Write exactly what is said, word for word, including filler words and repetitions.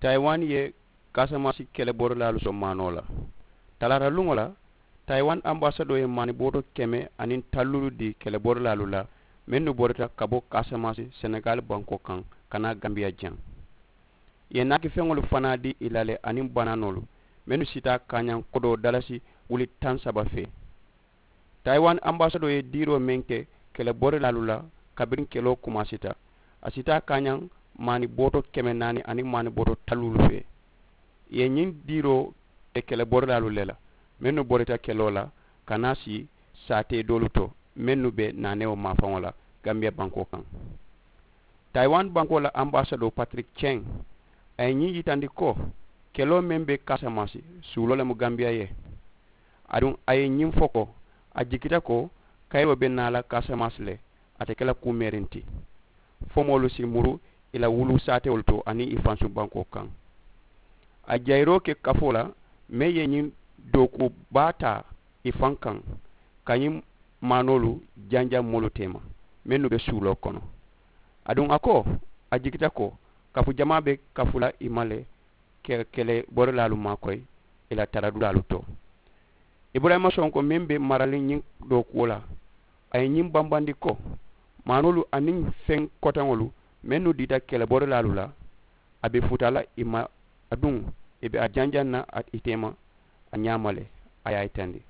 Tayiwan ye kaasamasi keleborolaalu soŋ maanoo la. Talaata luŋo la, tayiwan ambasadoo ye maani booto keme aniŋ talluulu dii keleborolaalu la mennu borita ka bo kaasamasi senegali bankoo kaŋ ka naa gambiya jaŋ. Ì ye naaki feŋolu fanaa dii ì la le aniŋ banaanoolu mennu sita kaañaŋ kodoo dalasi wuli taŋ saba fee. Tayiwan ambasadoo ye diiroo meŋ ke keleborolaalu la kabiriŋ keloo kumaasita, a sita kaañaŋ maani booto keme naani aniŋ maani booto talluulu fee. Ì ye ñiŋ diiroo ke keleborolaalu le la mennu borita keloo la ka naa sii saatee doolu to mennu be naanewo maafaŋo la gambiya bankoo kaŋ. Tayiwan bankoo la ambasadoo patirik ceŋ, a ye ñiŋ yitandi ko keloo meŋ be kaasamasi suuloo le mu gambiya ye. Aduŋ a ye ñiŋ fo ko a jikita ko kayiroo be naa la kaasamasi le, a te ke la kuu meeriŋ ti fo moolu si muru ì la wuluu saatewolu to aniŋ ì fansuŋ bankoo kaŋ. A jayiroo ke kafoo la meŋ ye ñiŋ dookuwo baa taa ì faŋ kaŋ ka ñiŋ maanoolu janjaŋ moolu teema mennu be suuloo kono. Aduŋ a ko a jikita ko kafu jamaa be kafu la ì ma le keleborolaalu maakoyi ì la taradulaalu to. Iburayima sonko meŋ be maraliŋ ñiŋ dookuwo la, a ye ñiŋ bambandi ko maanoolu aniŋ feŋ kotaŋolu mennu diita keleborolaalu la a be futa la ì ma. Aduŋ ì be a janjaŋ na ì teema a ñaama le. A ye a yitandi